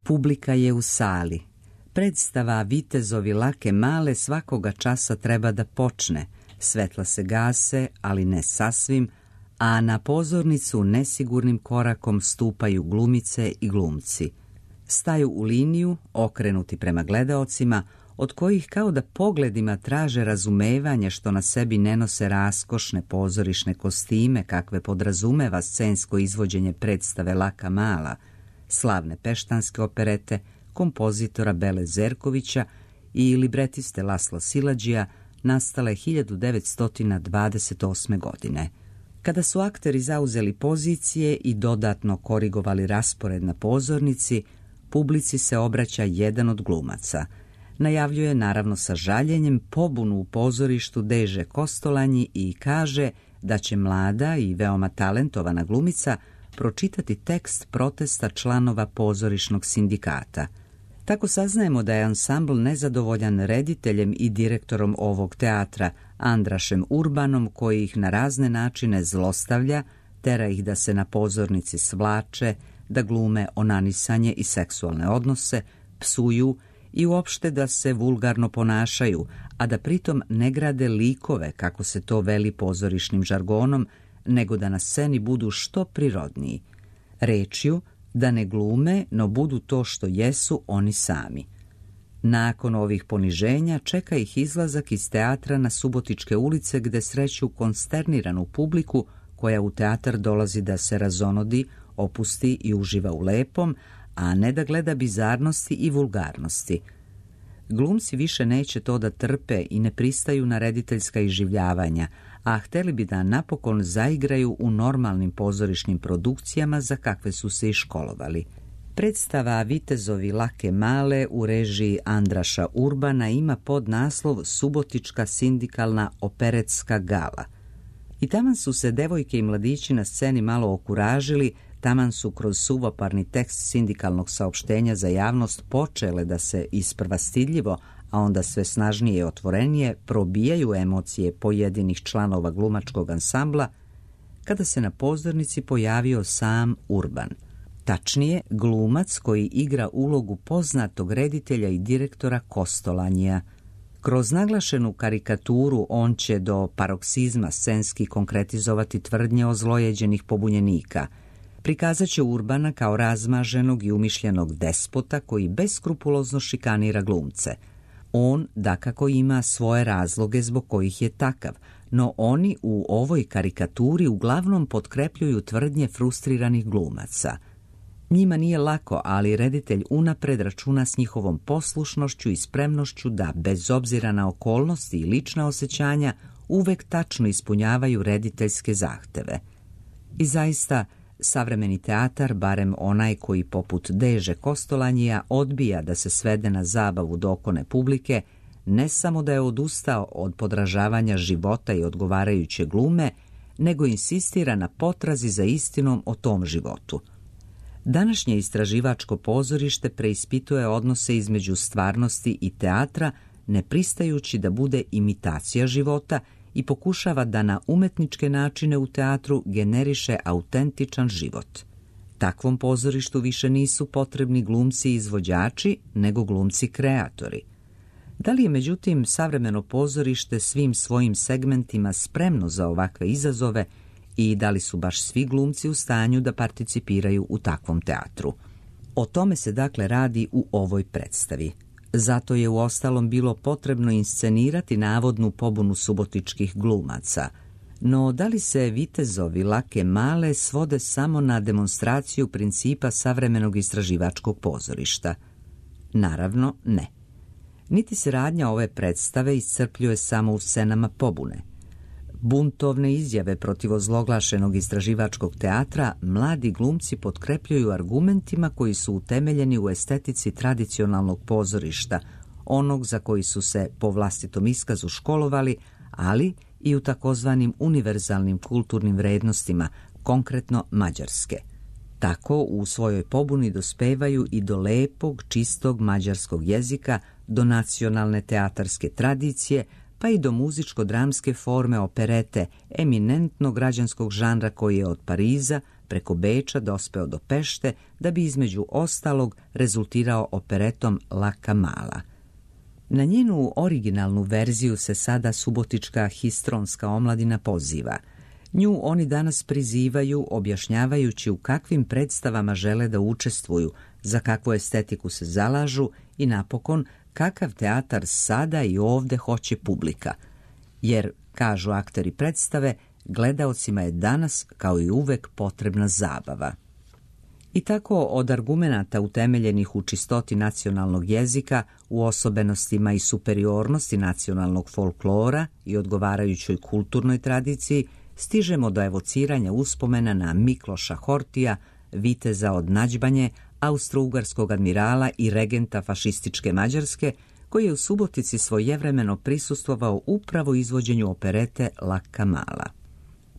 Publika je u sali. Predstava Vitezovi Lake Male svakoga časa treba da počne. Svetla se gase, ali ne sasvim, a na pozornicu nesigurnim korakom stupaju glumice i glumci. Staju u liniju, okrenuti prema gledaocima, od kojih kao da pogledima traže razumevanje što na sebi ne nose raskošne pozorišne kostime kakve podrazumeva scensko izvođenje predstave Laka Mala, slavne peštanske operete, kompozitora Bele Zerkovića i libretiste Lasla Silađija, nastale 1928. godine. Kada su akteri zauzeli pozicije i dodatno korigovali raspored na pozornici, publici se obraća jedan od glumaca. Najavljuje, naravno sa žaljenjem, pobunu u pozorištu Deže Kostolanji i kaže da će mlada i veoma talentovana glumica pročitati tekst protesta članova pozorišnog sindikata. Tako saznajemo da je ansambl nezadovoljan rediteljem i direktorom ovog teatra, Andrašem Urbanom, koji ih na razne načine zlostavlja, tera ih da se na pozornici svlače, da glume onanisanje i seksualne odnose, psuju i uopšte da se vulgarno ponašaju, a da pritom ne grade likove, kako se to veli pozorišnim žargonom, nego da na sceni budu što prirodniji. Rečju, da ne glume, no budu to što jesu oni sami. Nakon ovih poniženja čeka ih izlazak iz teatra na Subotičke ulice, gde sreću konsterniranu publiku koja u teatar dolazi da se razonodi, opusti i uživa u lepom, a ne da gleda bizarnosti i vulgarnosti. Glumci više neće to da trpe i ne pristaju na rediteljska iživljavanja, a hteli bi da napokon zaigraju u normalnim pozorišnim produkcijama za kakve su se i školovali. Predstava Vitezovi Lake Male u režiji Andraša Urbana ima podnaslov Subotička sindikalna operetska gala. I taman su se devojke i mladići na sceni malo okuražili, taman su kroz suvoparni tekst sindikalnog saopštenja za javnost počele da se isprva stidljivo, a onda sve snažnije i otvorenije probijaju emocije pojedinih članova glumačkog ansambla, kada se na pozornici pojavio sam Urban. Tačnije, glumac koji igra ulogu poznatog reditelja i direktora Kostolanjija. Kroz naglašenu karikaturu on će do paroksizma scenski konkretizovati tvrdnje ozlojeđenih pobunjenika. Prikazat će Urbana kao razmaženog i umišljenog despota koji beskrupulozno šikanira glumce. On, dakako, ima svoje razloge zbog kojih je takav, no oni u ovoj karikaturi uglavnom potkrepljuju tvrdnje frustriranih glumaca. Njima nije lako, ali reditelj unapred računa s njihovom poslušnošću i spremnošću da, bez obzira na okolnosti i lična osjećanja, uvek tačno ispunjavaju rediteljske zahteve. I zaista, savremeni teatar, barem onaj koji poput Deže Kostolanjija odbija da se svede na zabavu dokone publike, ne samo da je odustao od podražavanja života i odgovarajuće glume, nego insistira na potrazi za istinom o tom životu. Današnje istraživačko pozorište preispituje odnose između stvarnosti i teatra, ne pristajući da bude imitacija života i pokušava da na umetničke načine u teatru generiše autentičan život. Takvom pozorištu više nisu potrebni glumci i izvođači, nego glumci kreatori. Da li je, međutim, savremeno pozorište svim svojim segmentima spremno za ovakve izazove i da li su baš svi glumci u stanju da participiraju u takvom teatru? O tome se dakle radi u ovoj predstavi. Zato je uostalom bilo potrebno inscenirati navodnu pobunu subotičkih glumaca. No da li se Vitezovi Lake Male svode samo na demonstraciju principa savremenog istraživačkog pozorišta? Naravno, ne. Niti se radnja ove predstave iscrpljuje samo u scenama pobune. Buntovne izjave protiv ozloglašenog istraživačkog teatra mladi glumci potkrepljuju argumentima koji su utemeljeni u estetici tradicionalnog pozorišta, onog za koji su se po vlastitom iskazu školovali, ali i u takozvanim univerzalnim kulturnim vrednostima, konkretno mađarske. Tako u svojoj pobuni dospevaju i do lepog, čistog mađarskog jezika, do nacionalne teatarske tradicije, pa i do muzičko-dramske forme operete, eminentnog građanskog žanra koji je od Pariza preko Beča dospeo do Pešte da bi između ostalog rezultirao operetom Laka mala. Na njenu originalnu verziju se sada subotička histronska omladina poziva. Nju oni danas prizivaju objašnjavajući u kakvim predstavama žele da učestvuju, za kakvu estetiku se zalažu i napokon kakav teatar sada i ovde hoće publika. Jer, kažu akteri predstave, gledaocima je danas kao i uvek potrebna zabava. I tako od argumenata utemeljenih u čistoti nacionalnog jezika, u osobenostima i superiornosti nacionalnog folklora i odgovarajućoj kulturnoj tradiciji, stižemo do evociranja uspomena na Mikloša Hortija, viteza od Nađbanje, austro-ugarskog admirala i regenta fašističke Mađarske, koji je u Subotici svojevremeno prisustvovao upravo izvođenju operete Laka mala.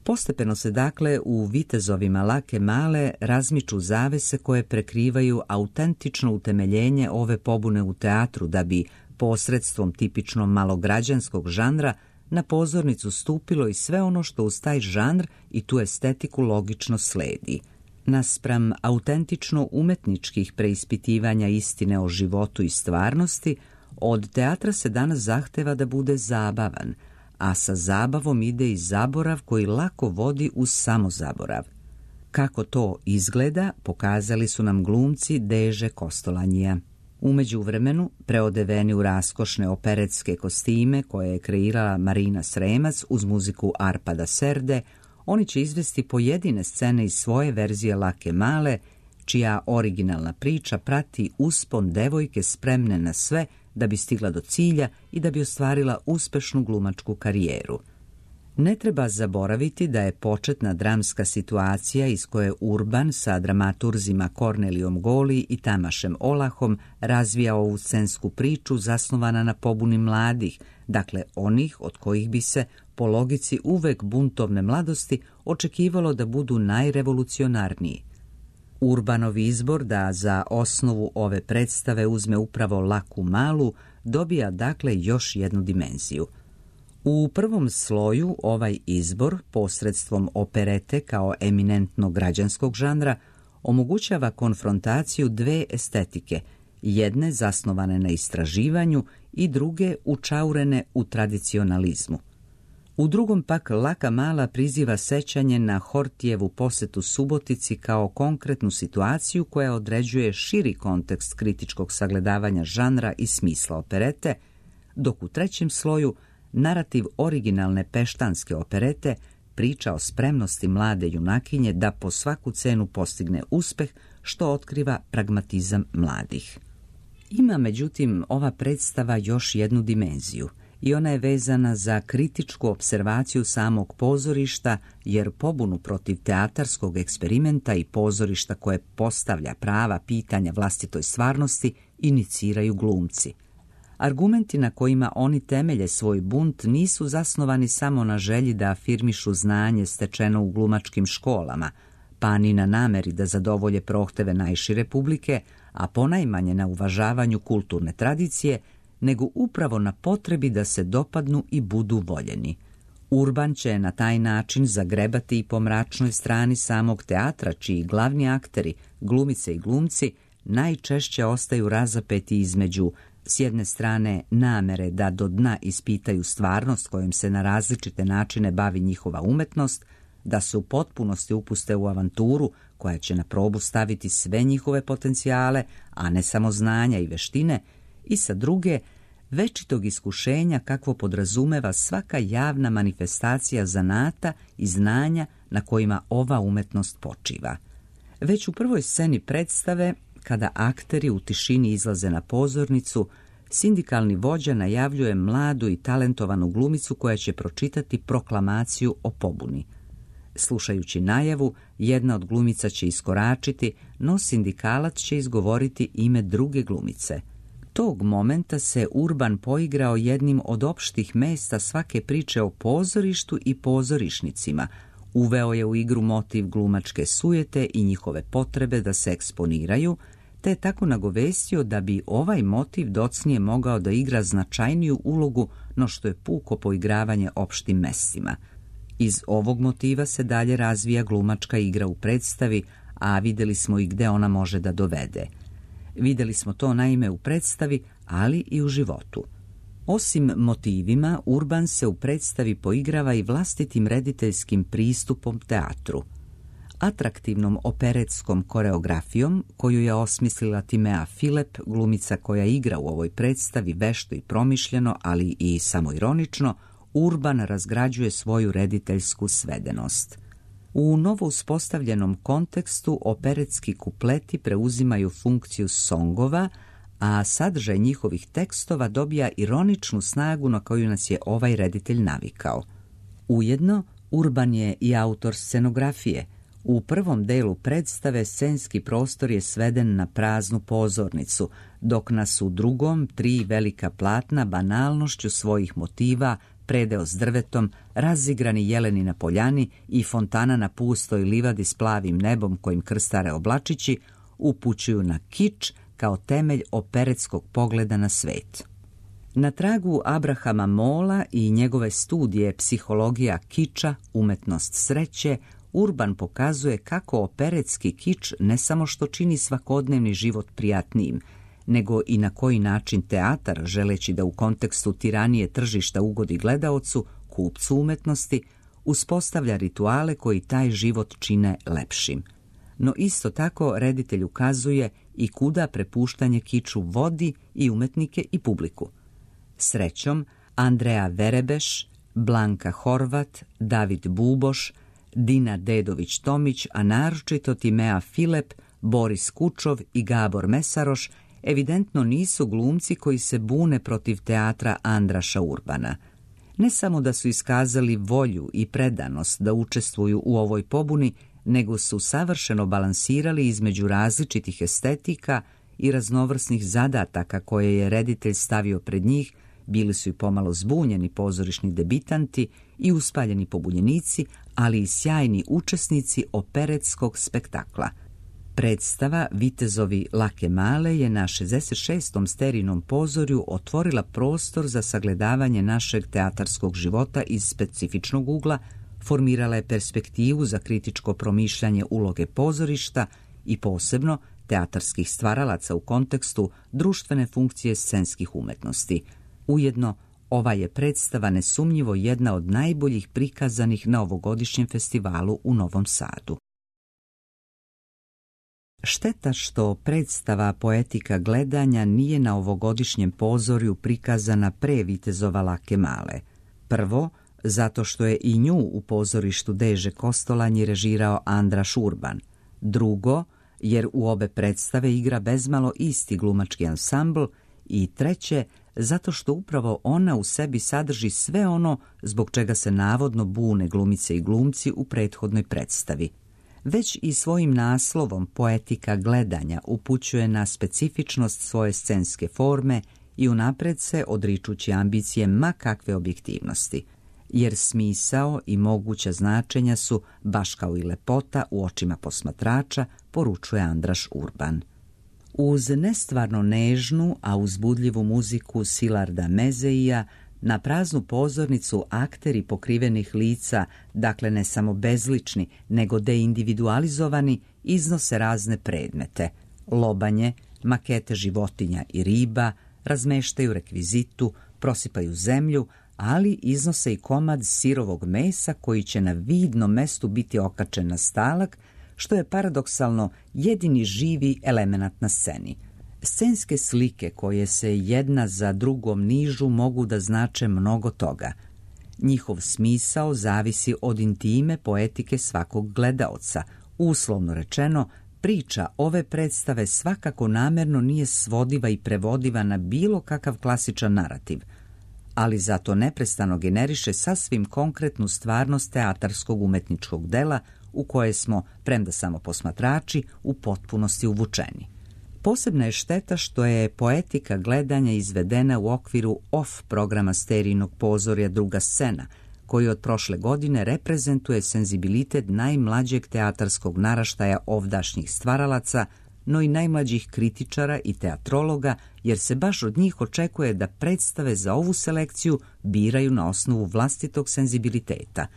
Postepeno se dakle u vitezovima Lake male razmiču zavese koje prekrivaju autentično utemeljenje ove pobune u teatru da bi posredstvom tipično malograđanskog žanra na pozornicu stupilo i sve ono što uz taj žanr i tu estetiku logično sledi. Naspram autentično umetničkih preispitivanja istine o životu i stvarnosti, od teatra se danas zahteva da bude zabavan, a sa zabavom ide i zaborav koji lako vodi uz samozaborav. Kako to izgleda, pokazali su nam glumci Deže Kostolanjija. U međuvremenu, preodeveni u raskošne operetske kostime koje je kreirala Marina Sremac uz muziku Arpada Serde, oni će izvesti pojedine scene iz svoje verzije Lake male, čija originalna priča prati uspon devojke spremne na sve da bi stigla do cilja i da bi ostvarila uspešnu glumačku karijeru. Ne treba zaboraviti da je početna dramska situacija iz koje Urban sa dramaturzima Kornelijom Goli i Tamašem Olahom razvija ovu scensku priču zasnovana na pobuni mladih, dakle onih od kojih bi se, po logici uvek buntovne mladosti, očekivalo da budu najrevolucionarniji. Urbanov izbor da za osnovu ove predstave uzme upravo Laku malu dobija dakle još jednu dimenziju. U prvom sloju ovaj izbor, posredstvom operete kao eminentno građanskog žanra, omogućava konfrontaciju dve estetike, jedne zasnovane na istraživanju i druge učaurene u tradicionalizmu. U drugom pak Laka mala priziva sećanje na Hortijevu posetu Subotici kao konkretnu situaciju koja određuje širi kontekst kritičkog sagledavanja žanra i smisla operete, dok u trećem sloju narativ originalne peštanske operete priča o spremnosti mlade junakinje da po svaku cenu postigne uspeh, što otkriva pragmatizam mladih. Ima međutim ova predstava još jednu dimenziju i ona je vezana za kritičku opservaciju samog pozorišta, jer pobunu protiv teatarskog eksperimenta i pozorišta koje postavlja prava pitanja vlastitoj stvarnosti iniciraju glumci. Argumenti na kojima oni temelje svoj bunt nisu zasnovani samo na želji da afirmišu znanje stečeno u glumačkim školama, pa ni na nameri da zadovolje prohteve najšire publike, a ponajmanje na uvažavanju kulturne tradicije, nego upravo na potrebi da se dopadnu i budu voljeni. Urban će na taj način zagrebati i po mračnoj strani samog teatra, čiji glavni akteri, glumice i glumci, najčešće ostaju razapeti između s jedne strane namere da do dna ispitaju stvarnost kojom se na različite načine bavi njihova umetnost, da se u potpunosti upuste u avanturu koja će na probu staviti sve njihove potencijale, a ne samo znanja i veštine, i sa druge, večitog iskušenja kakvo podrazumeva svaka javna manifestacija zanata i znanja na kojima ova umetnost počiva. Već u prvoj sceni predstave, kada akteri u tišini izlaze na pozornicu, sindikalni vođa najavljuje mladu i talentovanu glumicu koja će pročitati proklamaciju o pobuni. Slušajući najavu, jedna od glumica će iskoračiti, no sindikalac će izgovoriti ime druge glumice. Tog momenta se Urban poigrao jednim od opštih mesta svake priče o pozorištu i pozorišnicima, uveo je u igru motiv glumačke sujete i njihove potrebe da se eksponiraju, te je tako nagovestio da bi ovaj motiv docnije mogao da igra značajniju ulogu no što je puko poigravanje opštim mestima. Iz ovog motiva se dalje razvija glumačka igra u predstavi, a vidjeli smo i gde ona može da dovede. Vidjeli smo to naime u predstavi, ali i u životu. Osim motivima, Urban se u predstavi poigrava i vlastitim rediteljskim pristupom teatru. Atraktivnom operetskom koreografijom, koju je osmislila Timea Filep, glumica koja igra u ovoj predstavi vešto i promišljeno, ali i samoironično, Urban razgrađuje svoju rediteljsku svedenost. U novo uspostavljenom kontekstu operetski kupleti preuzimaju funkciju songova, a sadržaj njihovih tekstova dobija ironičnu snagu na koju nas je ovaj reditelj navikao. Ujedno, Urban je i autor scenografije. U prvom delu predstave scenski prostor je sveden na praznu pozornicu, dok nas u drugom 3 velika platna banalnošću svojih motiva, predeo s drvetom, razigrani jeleni na poljani i fontana na pustoj livadi s plavim nebom kojim krstare oblačići, upućuju na kič kao temelj operetskog pogleda na svet. Na tragu Abrahama Mola i njegove studije Psihologija kiča, umetnost sreće, Urban pokazuje kako operetski kič ne samo što čini svakodnevni život prijatnijim, nego i na koji način teatar, želeći da u kontekstu tiranije tržišta ugodi gledaocu, kupcu umetnosti, uspostavlja rituale koji taj život čine lepšim. No isto tako reditelj ukazuje i kuda prepuštanje kiču vodi i umetnike i publiku. Srećom, Andreja Verebeš, Blanka Horvat, David Buboš, Dina Dedović-Tomić, a naročito Timea Filep, Boris Kučov i Gabor Mesaroš evidentno nisu glumci koji se bune protiv teatra Andraša Urbana. Ne samo da su iskazali volju i predanost da učestvuju u ovoj pobuni, nego su savršeno balansirali između različitih estetika i raznovrsnih zadataka koje je reditelj stavio pred njih. Bili su i pomalo zbunjeni pozorišni debitanti i uspaljeni pobunjenici, ali i sjajni učesnici operetskog spektakla. Predstava Vitezovi Lake Male je na 66. Sterinom pozorju otvorila prostor za sagledavanje našeg teatarskog života iz specifičnog ugla, formirala je perspektivu za kritičko promišljanje uloge pozorišta i posebno teatarskih stvaralaca u kontekstu društvene funkcije scenskih umetnosti. Ujedno, ova je predstava nesumnjivo jedna od najboljih prikazanih na ovogodišnjem festivalu u Novom Sadu. Šteta što predstava Poetika gledanja nije na ovogodišnjem pozorju prikazana pre Vitezova Lake Male. Prvo, zato što je i nju u pozorištu Deže Kostolanji režirao Andraš Urban. Drugo, jer u obe predstave igra bezmalo isti glumački ansambl. I treće, zato što upravo ona u sebi sadrži sve ono zbog čega se navodno bune glumice i glumci u prethodnoj predstavi. Već i svojim naslovom Poetika gledanja upućuje na specifičnost svoje scenske forme i unapred se odričući ambicije ma kakve objektivnosti, jer smisao i moguća značenja su, baš kao i lepota u očima posmatrača, poručuje Andraš Urban. Uz nestvarno nežnu, a uzbudljivu muziku Silarda Mezeija, na praznu pozornicu akteri pokrivenih lica, dakle ne samo bezlični, nego deindividualizovani, iznose razne predmete, lobanje, makete životinja i riba, razmeštaju rekvizitu, prosipaju zemlju, ali iznose i komad sirovog mesa koji će na vidnom mestu biti okačen na stalak, što je paradoksalno jedini živi elemenat na sceni. Scenske slike koje se jedna za drugom nižu mogu da znače mnogo toga. Njihov smisao zavisi od intime poetike svakog gledaoca. Uslovno rečeno, priča ove predstave svakako namerno nije svodiva i prevodiva na bilo kakav klasičan narativ, ali zato neprestano generiše sasvim konkretnu stvarnost teatarskog umetničkog dela u koje smo, premda samo posmatrači, u potpunosti uvučeni. Posebna je šteta što je Poetika gledanja izvedena u okviru off programa Sterijinog pozorja Druga scena, koji od prošle godine reprezentuje senzibilitet najmlađeg teatarskog naraštaja ovdašnjih stvaralaca, no i najmlađih kritičara i teatrologa, jer se baš od njih očekuje da predstave za ovu selekciju biraju na osnovu vlastitog senzibiliteta.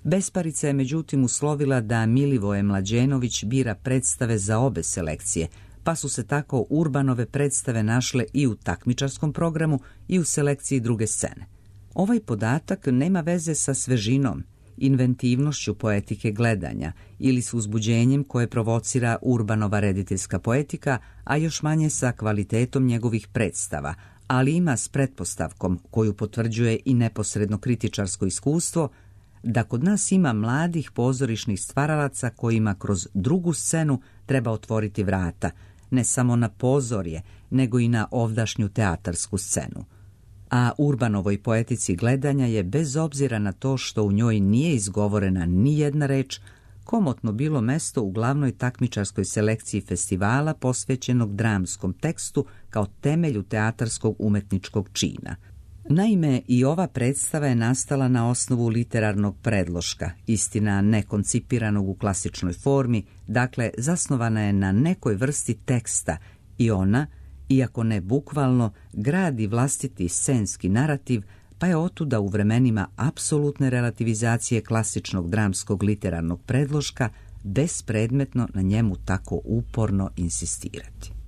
Besparica je međutim uslovila da Milivoje Mlađenović bira predstave za obe selekcije, pa su se tako Urbanove predstave našle i u takmičarskom programu i u selekciji druge scene. Ovaj podatak nema veze sa svežinom, inventivnošću poetike gledanja ili s uzbuđenjem koje provocira Urbanova rediteljska poetika, a još manje sa kvalitetom njegovih predstava, ali ima s pretpostavkom koju potvrđuje i neposredno kritičarsko iskustvo, da kod nas ima mladih pozorišnih stvaralaca kojima kroz drugu scenu treba otvoriti vrata, ne samo na pozorje, nego i na ovdašnju teatarsku scenu. A Urbanovoj poetici gledanja je, bez obzira na to što u njoj nije izgovorena ni jedna reč, komotno bilo mesto u glavnoj takmičarskoj selekciji festivala posvećenog dramskom tekstu kao temelju teatarskog umetničkog čina. Naime, i ova predstava je nastala na osnovu literarnog predloška, istina ne koncipiranog u klasičnoj formi, dakle zasnovana je na nekoj vrsti teksta i ona, iako ne bukvalno, gradi vlastiti scenski narativ, pa je otuda u vremenima apsolutne relativizacije klasičnog dramskog literarnog predloška bespredmetno na njemu tako uporno insistirati.